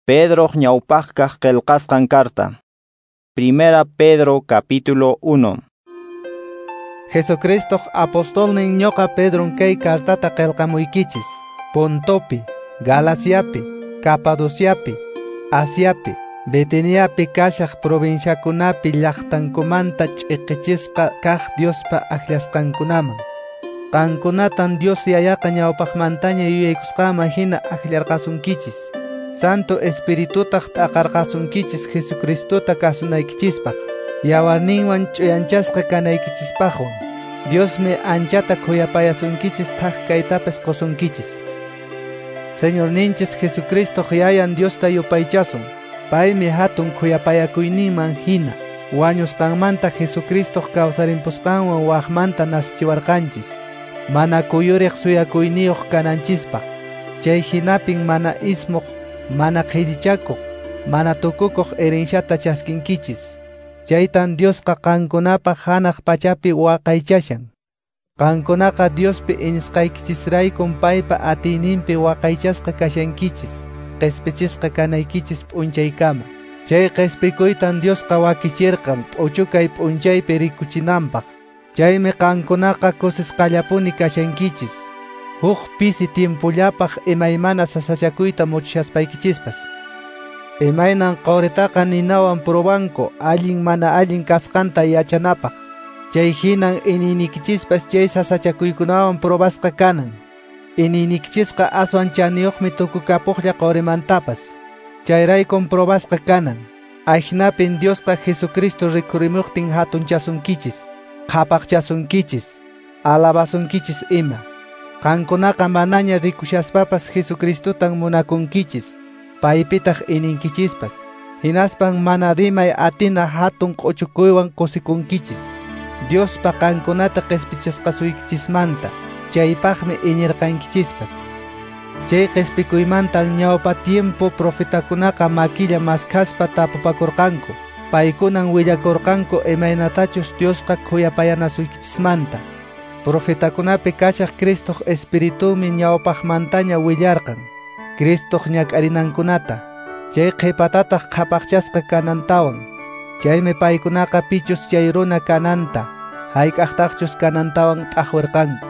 Pedroq ñawpaqkaq qillqasqan carta. Primera Pedro capítulo 1. Jesucristo apostolnin ñoqa Pedron kay cartata qillqamuykichis. Pontopi, Galaciapi, Capadociapi, Asiapi, Betiniapi kashaq provinciakunapi llaqtankumanta ch'iqichisqa kaq Diospa akllasqankunaman. Qankunatan Dios yayaqa ñawpaqmantaña yuyaykusqanman hina akllarqasunkichis. Santo Espiritutaq t'aqarqasunkichis Jesucristota kasunaykichispaq, yawarninwan ch'uyanchasqa kanaykichispaqwan. Diosmi anchata khuyapayasunkichis thak kaytapas qusunkichis. Señorninchis Jesucristo yayan Diosta yupaychasun. Paymi hatun khuyapayakuyninman hina wañusqanmanta Jesucristo kawsarimpusqanwan waqmanta naschiwarqanchis. Mana kuyuriq suyakuyniyuq kananchispaq. Chay hinapin mana ismuq, mana qhillichakuq, mana tukukuq herenciata chaskinkichis. Chaytan Diosqa qankunapaq hanaq pachapi waqaychashan. Qankunaqa Diospi iñisqaykichisraykun paypa atiyninpi waqaychasqa kashankichis, qhispichisqa kanaykichis p'unchaykama. Chay qhispikuytan Diosqa wakichirqan p'uchukay p'unchaypi rikuchinanpaq. Chaymi qankunaqa kusisqallapuni kashankichis. Huk pisi tiempollapaq imaymana sasachakuyta muchaspaykichispas. Imaynan quritaqa ninawan probanku allin mana allin kasqanta yachanapaq. Chay hinan iñiynikichispas chay sasachakuykunawan probasqa kanan. Iñiynikichisqa aswan chaniyuqmi tukukapuqlla qurimantapas. Chayraykun probasqa kanan. Ahinapin Diosqa Jesucristo rikurimuqtin hatunchasunkichis, qhapaqchasunkichis, alabasunkichis ima. Qankunaqa manaña rikushaspapas Jesucristotan munakunkichis, paypitaq iñinkichispas. Hinaspan mana rimay atina hatun q'uchukuywan kusikunkichis. Diospa qankunata qispichisqasuykichismanta, chaypaqmi iñirqankichispas. Chay qispikuymantan ñawpa tiempo profetakunaqa makilla maskhaspa tapupakurqanku. Paykunan willakurqanku imaynatachus Diosqa khuyapayanasuykichismanta. Profetakunapi kashaq Cristoq Espiritumi ñawpaqmantaña willarqan Cristoq ñak'arinankunata, chay qhipatataq qhapaqchasqa kanantawan. Chaymi paykunaqa pichus chay runa kananta, hayk'aqtaqchus kanantawan t'aqwirqanku.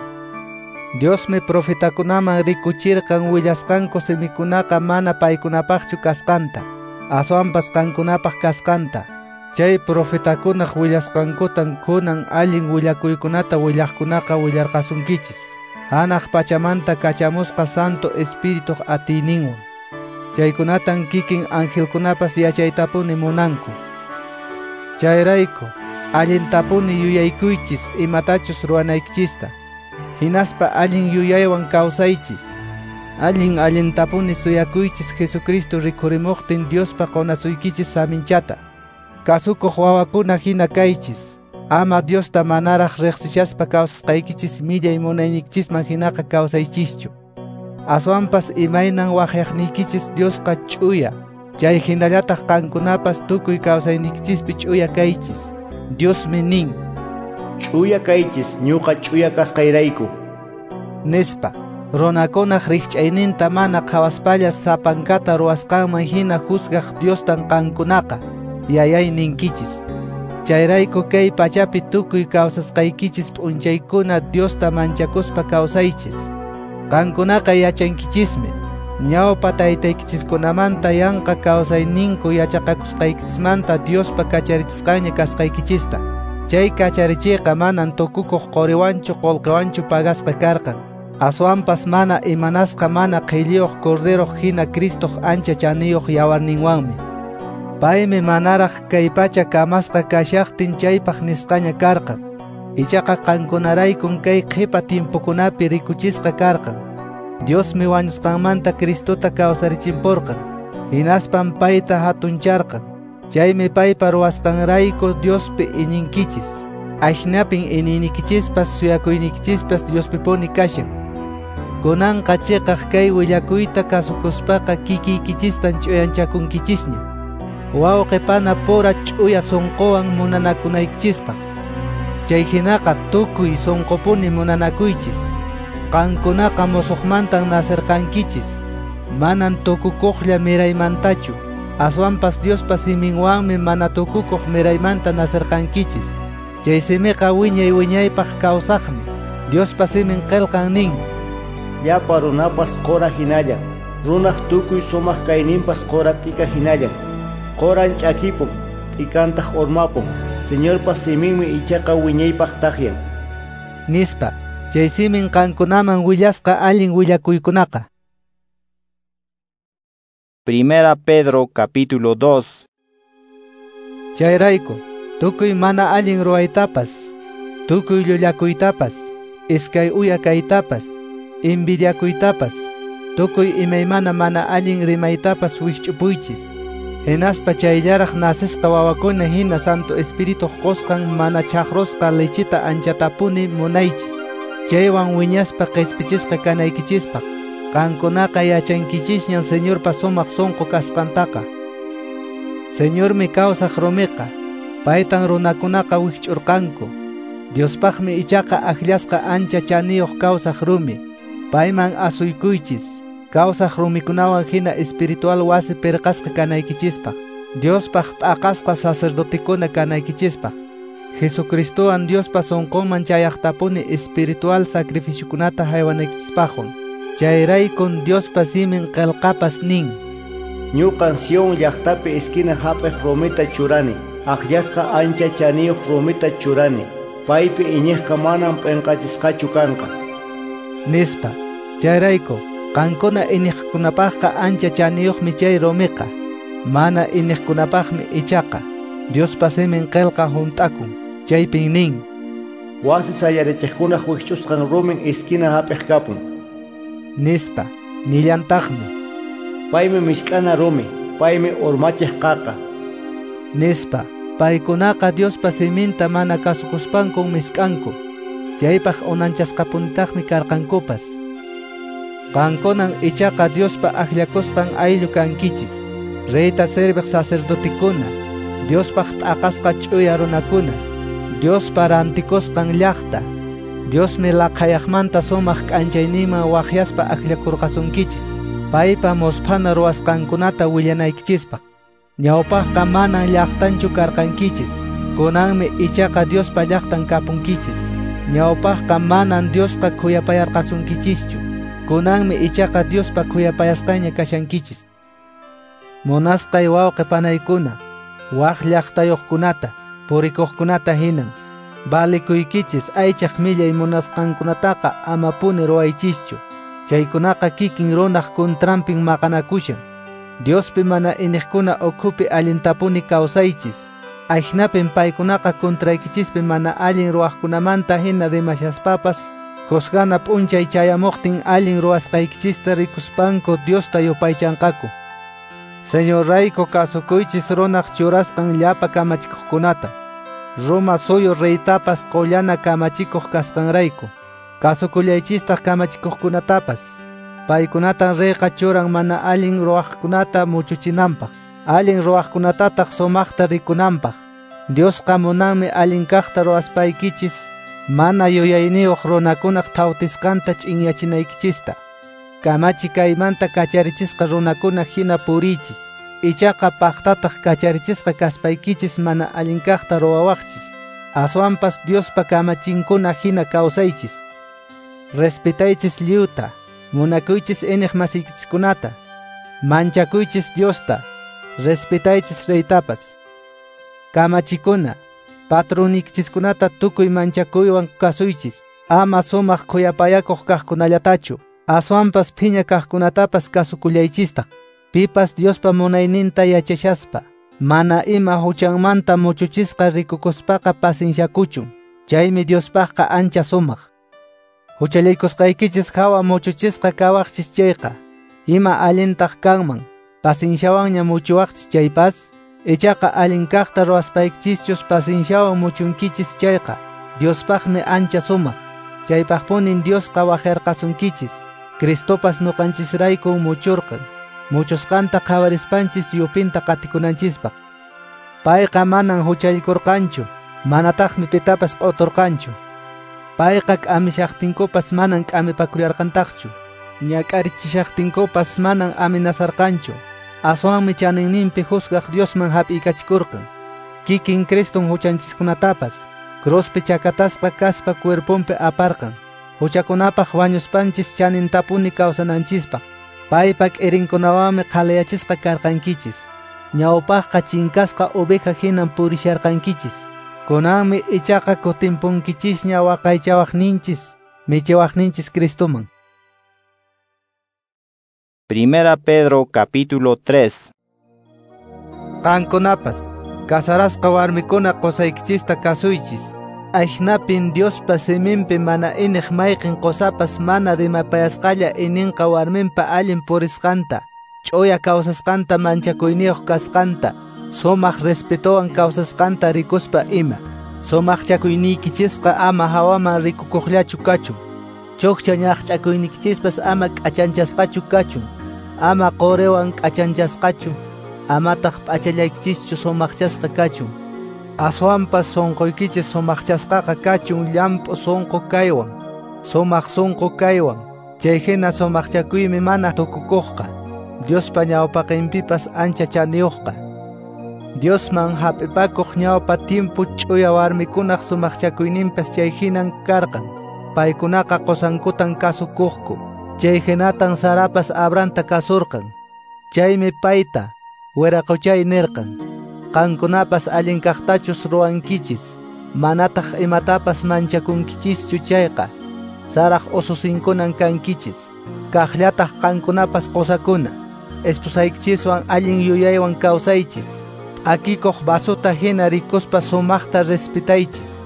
Diosmi profetakunaman rikuchirqan willasqanku simikunaqa mana paykunapaqchu kasqanta, aswanpas qankunapaq kasqanta. Chay profetakunaq willasqankutan kunan allin willakuykunata willaqkunaqa willarqasunkichis. Hanaq pachamanta kachamusqa Santo Espirituq atiyninwan. Chaykunatan kikin angelkunapas yachaytapuni munanku. Chayrayku allintapuni yuyaykuychis imatachus ruwanaykichista. Hinaspa allin yuyaywan kawsaychis. Allin allintapuni suyakuychis Jesucristo rikhurimuqtin Diospa qunasuykichis saminchata. Kasukuq wawakuna hina kaychis. Ama Diosta manaraq riqsishaspa kawsasqaykichis millay munaynikichisman hinaqa kawsaychischu. Aswanpas imaynan waqyaqniykichis Diosqa ch'uya, chay hinallataq qankunapas tukuy kawsaynikichispi ch'uya kaychis. Diosmi nin: Ch'uya kaychis ñuqa ch'uya kasqayrayku, nispa. Runakunaq rikch'ayninta mana qhawaspalla sapankata ruwasqanman hina juzgaq Diostan qankunaqa yayay ninkichis. Chayrayku kay pachapi tukuy kawsasqaykichis p'unchaykuna Diosta manchakuspa kawsaychis. Qankunaqa yachankichismi ñawpa taytaykichiskunamanta yanqa kawsayninku yachaqakusqaykichismanta Diospa kacharichisqanña kasqaykichista. Chay kacharichiyqa manan tukukuq quriwanchu qullqiwanchu pagasqa karqan. Aswanpas mana imanasqa mana qhilliyuq corderoq hina Cristoq ancha chaniyuq yawarninwanmi. Paymi manaraq kay pacha kamasqa kashaqtin chaypaq nisqaña karqan. Ichaqa qankunaraykun kay qhipa tiempokunapi rikuchisqa karqan. Diosmi wañusqanmanta Cristota kawsarichimpurqan. Hinaspan payta hatuncharqan. Chaymi paypa ruwasqanrayku Diospi iñinkichis. Ahinapin iñiynikichispas suyakuynikichispas Diospipuni kashan. Kunanqa chiqaq kay willakuyta kasukuspaqa kikiykichistan ch'uyanchakunkichisña. Wawqi pana pura ch'uya sunquwan munanakunaykichispaq. Chay hinaqa tukuy sunqupuni munanakuychis. Qankunaqa musuqmantan nasirqankichis. Manan tukukuqlla miraymantachu, aswanpas Diospa siminwanmi mana tukukuq miraymanta nacerqankichis. Chay simiqa wiñay wiñaypaq kawsaqmi. Diospa simin qillqan nin: Llapa runapas qura hinallan, runaq tukuy sumaq kayninpas qura t'ika hinallan. Quran ch'akipun, t'ikantaq urmapun. Señorpa siminmi ichaqa wiñaypaq takyan. Nispa. Chay simin qankunaman willasqa allin willakuykunaqa. Primera Pedro capítulo 2. Chayrayku, tukuy mana allin ruwaytapas, tukuy llullakuytapas, iskay uya kaytapas, envidiakuytapas, tukuy imaymana mana allin rimaytapas wikch'upuychis. Hinaspa chayllaraq nasisqa wawakuna hina Santo Espirituq qusqan mana chaqrusqa lechita anchatapuni munaychis. Chaywan wiñaspa qispichisqa kanaykichispaq. Qankunaqa yachankichisñan Señorpa sumaq sunqu kasqantaqa. Señormi kawsaq rumiqa, paytan runakunaqa wikch'urqanku. Diospaqmi ichaqa akllasqa ancha chaniyuq kawsaq rumi. Payman asuykuychis, kawsaq rumikunawan hina espiritual wasi pirqasqa kanaykichispaq. Diospaq t'aqasqa sacerdotekuna kanaykichispaq. Jesucristowan Diospa sunqunman chayaqtapuni espiritual sacrificiokunata haywanaykichispaqwan. Chayraykun Diospa simin qillqapas nin: Ñuqan Sion llaqtapi esquina hap'iq rumita churani, akllasqa ancha chaniyuq rumita churani. Paypi iñiqqa manam p'inqachisqachu kanqa. Nispa. Chayrayku, qankuna iñiqkunapaqqa ancha chaniyuqmi chay rumiqa. Mana iñiqkunapaqmi ichaqa. Diospa simin qillqa hunt'akun. Chaypin nin: Wasi sayarichiqkunaq wikch'usqan rumin esquina hap'iq kapun. Nispa. Nillantaqmi: Paymi mishk'ana rumi, paymi urmachiq qaqa. Nispa. Paykunaqa Diospa siminta mana kasukuspankun misk'anku. Chaypaq unanchasqapunitaqmi karqankupas. Qankunan ichaqa Diospa akllakusqan ayllu kankichis. Reyta serviq sacerdotekuna, Diospaq t'aqasqa ch'uya runakuna, Diospa rantikusqan llaqta. Diosmi laqhayaqmanta sumaq k'anchayninman waqyaspa akllakurqasunkichis, paypa musphana ruwasqankunata willanaykichispaq. Ñawpaqqa manan llaqtanchu karqankichis, kunanmi ichaqa Diospa llaqtan kapunkichis. Ñawpaqqa manan Diosqa khuyapayarqasunkichischu, kunanmi ichaqa Diospa khuyapayasqanña kashankichis. Munasqay wawqi panaykuna, waq llaqtayuqkunata, purikuqkunata hinan, valikuykichis aychaq millay munasqankunataqa amapuni ruwaychischu. Chaykunaqa kikin runaq contranpin maqanakushan. Diospi mana iniqkuna ukhupi allintapuni kawsaychis. Ajnapin paykunaqa contraykichispi mana allin ruwaqkunamanta hina rimashaspapas, juzgana p'unchay chayamuqtin allin ruwasqaykichista rikuspanku Diosta yupaychanqaku. Señorrayku kasukuychis runaq churasqan llapa kamachikuqkunata. Roma suyu reytapas qollana kamachikuq kasqanrayku. Kasukullaychistaq kamachikuqkunatapas. Paykunatan reyqa churan mana allin ruwaqkunata muchuchinanpaq, allin ruwaqkunatataq sumaqta rikunanpaq. Diosqa munanmi allin kaqta ruwaspaykichis, mana yuyayniyuq runakunaq thawtisqanta ch'inyachinaykichista. Kamachi kaymanta kacharichisqa runakuna hina puriychis. Ichaqa paqtataq kacharichisqa kaspaykichis mana allin kaqta ruwawaqchis. Aswanpas Diospa kamachinkuna hina kawsaychis. Respetaychis lliwta, munakuychis iñiq masiykichiskunata, manchakuychis Diosta, respetaychis reytapas. Kamachikuna, patronykichiskunata tukuy manchakuywan kasuychis, ama sumaq khuyapayakuq kaqkunallatachu, aswanpas phiña kaqkunatapas kasukullaychistaq. Pipas Diospa munayninta yachashaspa, mana ima huchanmanta muchuchisqa rikukuspaqa pasinshakuchun. Chaymi Diospaqqa ancha sumaq. Huchallaykusqaykichis hawa muchuchisqa kawaqchis chayqa, ima allintaq kanman, pasinshawanña muchuwaqchis chaypas, ichaqa allin kaqta ruwaspaykichischus pasinshawan muchunkichis chayqa, Diospaqmi ancha sumaq. Chaypaqpunin Diosqa waqharqasunkichis. Cristopas nuqanchisrayku muchurqan, muchusqanta qhawarispanchis yupinta qatikunanchispaq. Payqa manan huchallikurqanchu, manataqmi pitapas q'uturqanchu. Payqa k'amishaqtinkupas manan k'amipakullarqantaqchu. Ñak'arichishaqtinkupas manan amenazarqanchu. Aswanmi chaninninpi juzgaq Diosman hap'iykachikurqan. Kikin Criston huchanchiskunatapas cruzpi chakatasqa kaspa cuerponpi aparqan. Huchakunapaq wañuspanchis chanintapuni kawsananchispaq. Paypa k'irinkunawanmi qhalayachisqa karqankichis. Ñawpaqqa chinkasqa oveja hinan purisharqankichis. Kunanmi ichaqa kutimpunkichisña waqaychawaqninchis, michiwaqninchis Cristoman. Primera Pedro capítulo 3. Qankunapas, casarasqa warmikuna qosaykichista kasuychis. Ajnapin Diospa siminpi mana iniq mayqin qosapas mana rimapayasqalla ininqa warminpa allin purisqanta, ch'uya kawsasqanta manchakuyniyuq kasqanta, sumaq respetowan kawsasqanta rikuspa ima. Sumaqchakuyniykichisqa ama hawaman rikukuqllachu kachun. Chukcha ñaqch'akuyniykichispas ama k'achanchasqachu kachun. Ama quriwan k'achanchasqachu, amataq p'achallaykichischu sumaqchasqa kachun. Aswanpas sunquykichis sumaqchasqaqa kachun llamp'u sunqu kaywan, sumaq sunqu kaywan. Chayhina sumaqchakuymi mana tukukuqqa, Diospa ñawpaqinpipas ancha chaniyuqqa. Diosman hap'ipakuq ñawpa timpu ch'uya warmikunaq sumaqchakuyninpas chayhinan karqan. Paykunaqa qusankutan kasukuqku. Chayhinatan Sarapas Abrahamta kasurqan. Chaymi payta wiraquchay nirqan. Qankunapas allin kaqtachus ruwankichis, manataq imatapas manchakunkichischu chayqa, Saraq ususinkunan kankichis. Kaqllataq qankunapas qusakuna, esposaykichiswan allin yuyaywan kawsaychis. Akikuq vasota hina rikuspa sumaqta respetaychis.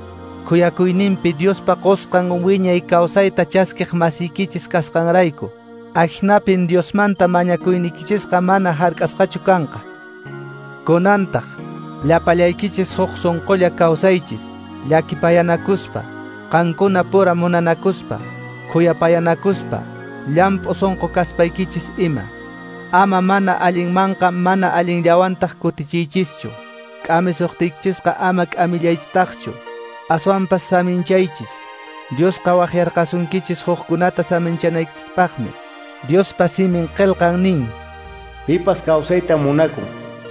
Khuyakuyninpi Diospa qusqan wiñay kawsayta chaskiq masiykichis kasqanrayku. Ajnapin Diosmanta mañakuynikichisqa mana hark'asqachu kanqa. Kunantaq, llapallaykichis huk sunqulla kawsaychis, llakipayanakuspa, qankuna pura munanakuspa, khuyapayanakuspa, llamp'u sunqu kaspaykichis ima. Ama mana allinmanqa mana allinllawantaq kutichiychischu. K'amisuqtiykichisqa ama k'amillaychistaqchu. Aswanpas saminchaychis. Diosqa waqyarqasunkichis hukkunata saminchanaykichispaqmi. Diospa simin qillqan nin: Pipas kawsayta munakun,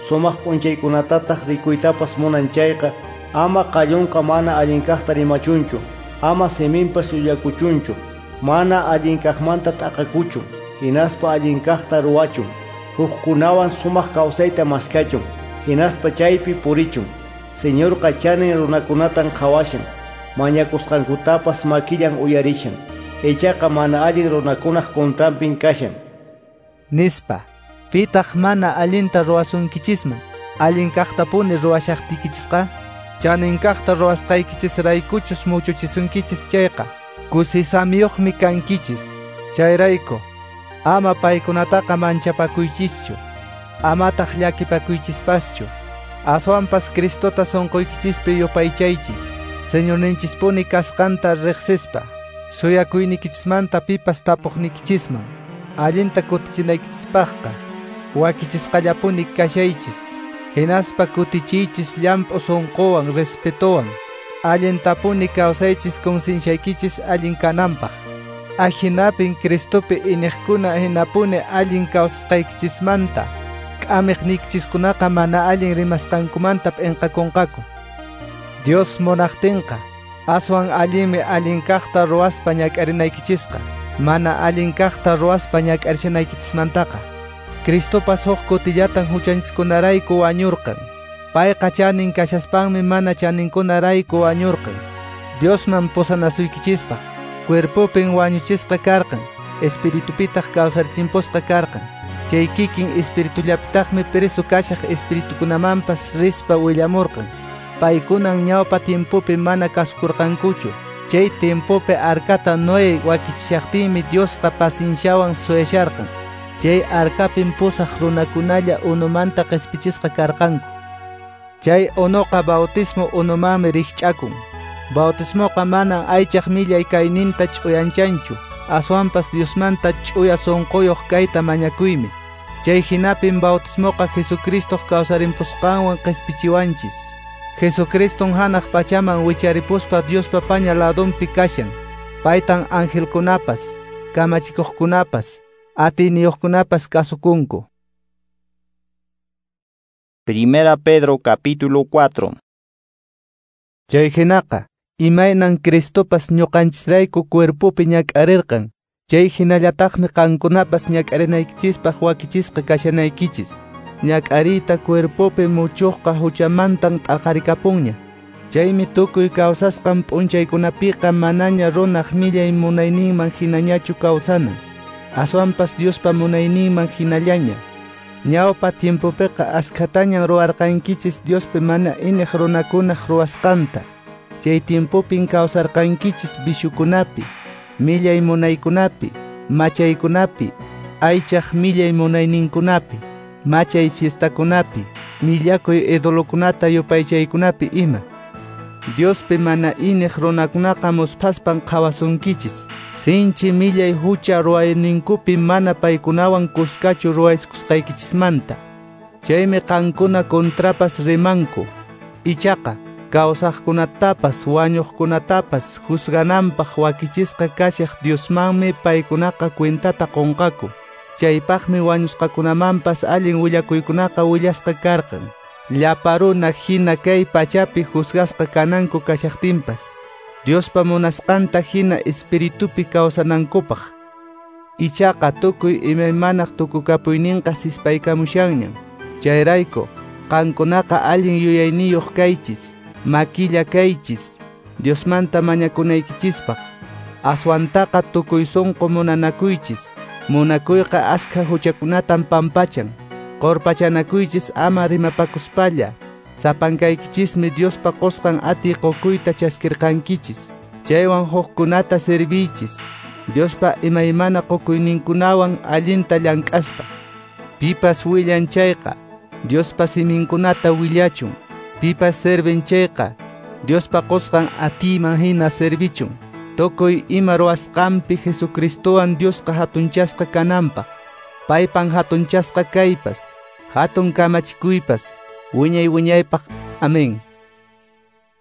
sumaq p'unchaykunatataq rikuytapas munan chayqa, ama qallunqa mana allinkaqta rimachunchu, ama siminpas llullakuchunchu, mana allinkaqmanta t'aqakuchun, hinaspa allinkaqta ruwachun, hukkunawan sumaq kawsayta maskachun, hinaspa chaypi purichun. Señorqa chanin runakunatan qhawashan, mañakusqankutapas makillan uyarishan, ichaqa mana allin runakunaq contranpin kashan. Nispa, pitaq mana allinta ruwasunkichisman, allin kaqtapuni ruwashaqtiykichisqa, chanin kaqta ruwasqaykichisraykuchus muchuchisunkichis chayqa, kusisamiyuqmi kankichis. Chayrayku, ama paykunataqa manchapakuychischu, amataq llakipakuychispaschu. Aswanpas Cristota sunquykichispi yupaychaychis, Señorninchispuni kasqanta riqsispa, suyakuynikichismanta pipas tapuqnikichisman, allinta kutichinaykichispaqqa, wakichisqallapuni kashaychis, hinaspa kutichiychis llamp'u sunquwan respetowan, allintapuni kawsaychis concienciaykichis allin kananpaq. Ajinapin Cristopi iniqkuna hinapuni allin kawsasqaykichismanta, k'amiqniykichiskunaqa mana allin rimasqankumanta p'inqakunqaku. Dios munaqtinqa, aswan allinmi allin kaqta ruwaspa ñak'arinaykichisqa, mana allin kaqta ruwaspa ñak'arisinaykichismantaqa. Cristopas huk kutillatan huchanchiskunarayku wañurqan. Payqa chanin kashaspanmi mana chaninkunarayku wañurqan. Diosman pusanasuykichispaq, cuerpopin wañuchisqa karqan, espiritupitaq kawsarichimpusqa karqan. Chay kikin espiritullapitaqmi preso kashaq espiritukunamanpas rispa willamurqan. Paykunan ñawpa tiempopi mana kasukurqankuchu. Chay tiempopi arcata Noé wakichishaqtinmi Diosqa pacienciawan suyasharqan. Chay arcapin pusaq runakunalla unumanta qhispichisqa karqanku. Chay unuqa bautismo unumanmi rikch'akun. Bautismoqa manan aychaq millay kayninta ch'uyanchanchu, aswanpas Diosmanta ch'uya sunquyuq kayta mañakuymi. Chay hinapin bautismoqa Jesucristoq kawsarimpusqanwan qhispichiwanchis. Jesucriston hanaq pachaman wicharipuspa Diospa paña ladonpi kashan. Paytan angelkunapas, Kamachikuqkunapas, atiyniyuqkunapas kasukunku. Primera Pedro capítulo 4. Chay hinaqa, imaynan Cristopas ñuqanchisrayku cuerpopi ñak'arirqan, chay hinallataqmi qankunapas ñak'arinaykichispaq wakichisqa kashanaykichis. Ñak'ariyta cuerpopi muchuqqa huchamantan t'aqarikapunña. Chaymi tukuy kawsasqan p'unchaykunapiqa manaña runaq millay munayninman hinañachu kawsanan, aswanpas Diospa munayninman hinallaña. Ñawpa tiempopiqa askhatañan ruwarqankichis Diospi mana iñiq runakunaq ruwasqanta. Chay tiempopin kawsarqankichis vishukunapi, millay munaykunapi, machaykunapi, aychaq millay munayninkunapi, machay fiestakunapi, millakuy idolokunata yupaychaykunapi ima. Diospi mana iñiq runakunaqa musphaspan qhawasunkichis. Sinchi millay hucha ruwayninkupi mana paykunawan kuskachu ruwayskusqaykichismanta. Chaymi qankuna contrapas rimanku. Ichaqa kawsaqkunatapas wañuqkunatapas juzgananpaq wakichisqa kashaq Diosmanmi paykunaqa cuentata qunqaku. Chaypaqmi wañusqakunamanpas allin willakuykunaqa willasqa karqan. Llapa runa hina kay pachapi juzgasqa kananku kashaqtinpas, Diospa munasqanta hina espiritupi kawsanankupaq. Ichaqa tukuy imaymanaq tukukapuyninqa sispaykamushanñan. Chayrayku, qankunaqa allin yuyayniyuq kaychis, makilla kaychis, Diosmanta mañakunaykichispaq. Aswantaqa tukuy sunqu munanakuychis. Munakuyqa askha huchakunatan pampachan. Qorpachanakuychis ama rimapakuspalla. Sapankaykichismi Diospa qusqan atiy qukuyta chaskirqankichis. Chaywan hukkunata serviychis. Diospa imaymana qukuyninkunawan allinta llank'aspa. Pipas willan chayqa, Diospa siminkunata willachun. Pipas servin chayqa, Diospa qusqan atiyman hina servichun. Tukuy ima ruwasqanpi Jesucristowan Diosqa hatunchasqa kananpaq. Paypan hatunchasqa kaypas, hatun kamachikuypas, wiñay wiñaypaq. Amén.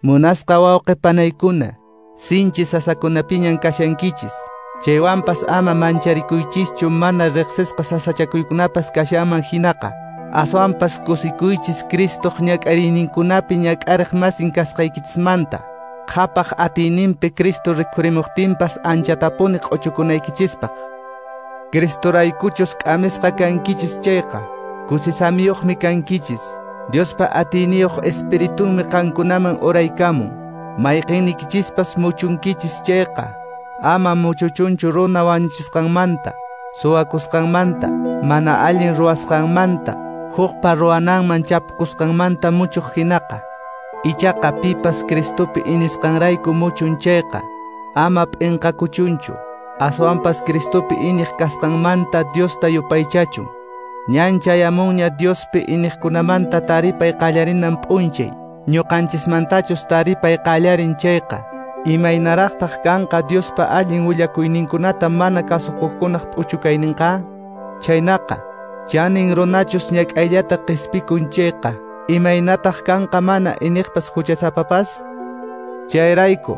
Munasqa wawqi panaykuna, sinchi sasakunapiñan kashankichis. Chaywanpas ama mancharikuychischu mana riqsisqa sasachakuykunapas kashanman hinaqa. Aswanpas kusikuychis Cristoq ñak'ariyninkunapi ñak'ariq masin kasqaykichismanta. Qhapaq atiyninpi Cristo rikhurimuqtinpas anchatapuni q'uchukunaykichispaq. Cristoraykuchus k'amisqa kankichis chayqa, kusisamiyuqmi kankichis. Diospa atiyniyuq espiritunmi qankunaman uraykamun. Mayqinnikichispas muchunkichis chayqa, ama muchuchunchu runa wañuchisqanmanta, suwakusqanmanta, mana allin ruwasqanmanta, hukpa ruwananman chapukusqanmanta muchuq hinaqa. Ichaqa pipas Cristopi iñisqanrayku muchun chayqa, ama p'inqakuchunchu. Aswanpas Cristopi iñiq kasqanmanta Diosta yupaychachun. Ñan chayamunña Diospi iñiqkunamanta taripay qallarinan p'unchay. Ñuqanchismantachus taripay qallarin chayqa, imaynaraqtaq kanqa Diospa allin willakuyninkunata mana kasukuqkunaq p'uchukayninqa? Chaynaqa, chanin runachus ñak'ayllata qispikun chayqa, imaynataq kanqa mana iñiqpas huchasapapas? Chayrayku,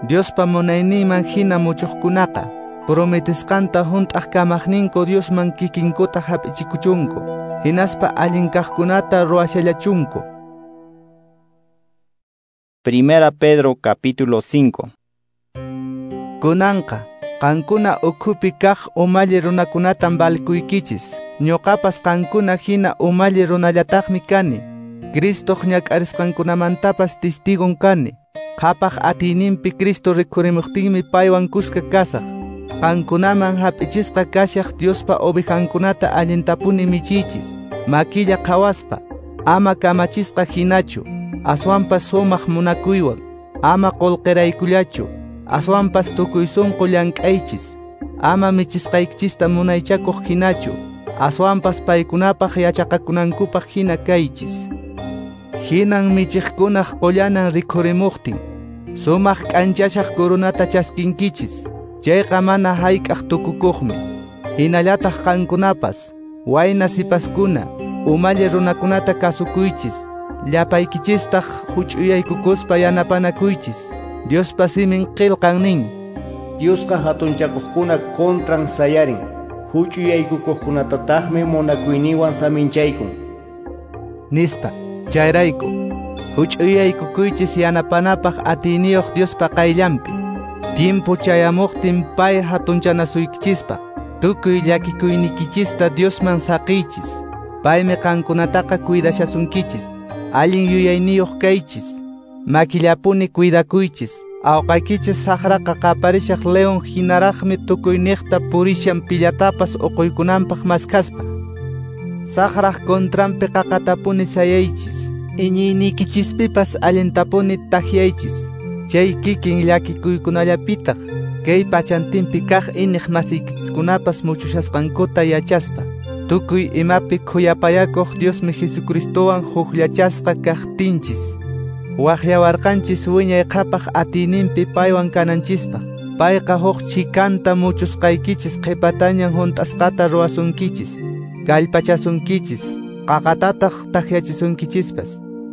Diospa munayninman hina muchuqkunaqa, prometisqanta hunt'aq kamaqninku Diosman kikinkuta hap'ichikuchunku, hinaspa allin kaqkunata ruwashallachunku. Primera Pedro capítulo 5. Kunanqa, qankuna ukhupi kaq umalli runakunatan valkuykichis. Ñuqapas qankuna hina umalli runallataqmi kani. Cristoq ñak'arisqankunamantapas testigon kani. Qhapaq atiyninpi Cristo rikhurimuqtinmi paywan kuska kasaq. Qankunaman hap'ichisqa kashaq Diospa ovejankunata allintapuni michiychis. Makilla qhawaspa, ama kamachisqa hinachu, aswanpas sumaq munakuywan, ama qullqiraykullachu, aswanpas tukuy sunqu llank'aychis, ama michisqaykichista munaychakuq hinachu, aswanpas paykunapaq yachaqakunankupaq hina kaychis. Hinan michiqkunaq qullanan rikhurimuqtin, sumaq k'anchashaq coronata chaskinkichis. Chayqa mana hayk'aq tukukuqmi. Hinallataq qankunapas, wayna sipaskuna, umalli runakunata kasukuychis. Llapaykichistaq huch'uyaykukuspa yanapanakuychis. Diospa simin qillqan nin, Diosqa hatunchakuqkuna contran sayarin, huch'uyaykukuqkunatataqmi munakuyninwan saminchaykun. Nispa, chayrayku, huch'uyaykukuychis yanapanapaq atiyniyuq Diospa qayllanpi. Tiempo chayamuqtin pay hatunchanasuykichispaq, tukuy llakikuynikichista Diosman saqiychis. Paymi qankunataqa cuidashasunkichis, allin yuyayniyuq kaychis, makillapuni cuidakuychis. Awqaykichis saqraqa qaparishaq león hinaraqmi tukuyniqta purishan pillatapas uquykunanpaq maskaspa. Saqraq contranpi qaqatapuni sayaychis, iñiynikichispipas allintapuni takyaychis. Chay kikin llakikuykunallapitaq kay pachantinpi kaq iniq masiykichiskunapas muchushasqankuta yachaspa. Tukuy imapi khuyapayakuq Diosmi Jesucristowan hukllachasqa kaqtinchis. Waqyawarqanchis wiñay qhapaq atiyninpi paywan kananchispaq. Payqa huk chikanta muchusqaykichis qhipatañan hunt'asqata ruwasunkichis, kallpachasunkichis, qaqatataq takyachisunkichispas.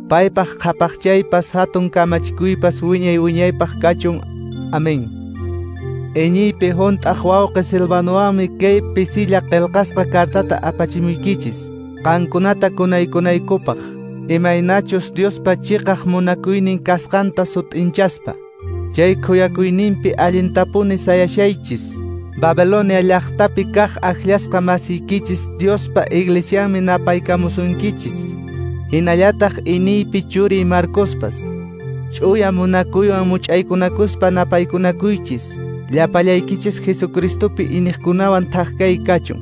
Paypaq qhapaqchaypas hatun kamachikuypas wiñay wiñaypaq kachun. Amén. Iñiypi hunt'aq wawqi Silvanowanmi kay pisilla qillqasqa cartata apachimuykichis, qankunata kunaykunaykupaq, imaynachus Diospa chiqaq munakuynin kasqanta sut'inchaspa. Chay khuyakuyninpi allintapuni sayashaychis. Babilonia llaqtapi kaq akllasqa masiykichis Diospa iglesianmi napaykamusunkichis. Hinallataq iniypi churiy Marcospas. Ch'uya munakuywan much'aykunakuspa napaykunakuychis. Llapallaykichis Jesucristopi iniqkunawan thak kay kachun.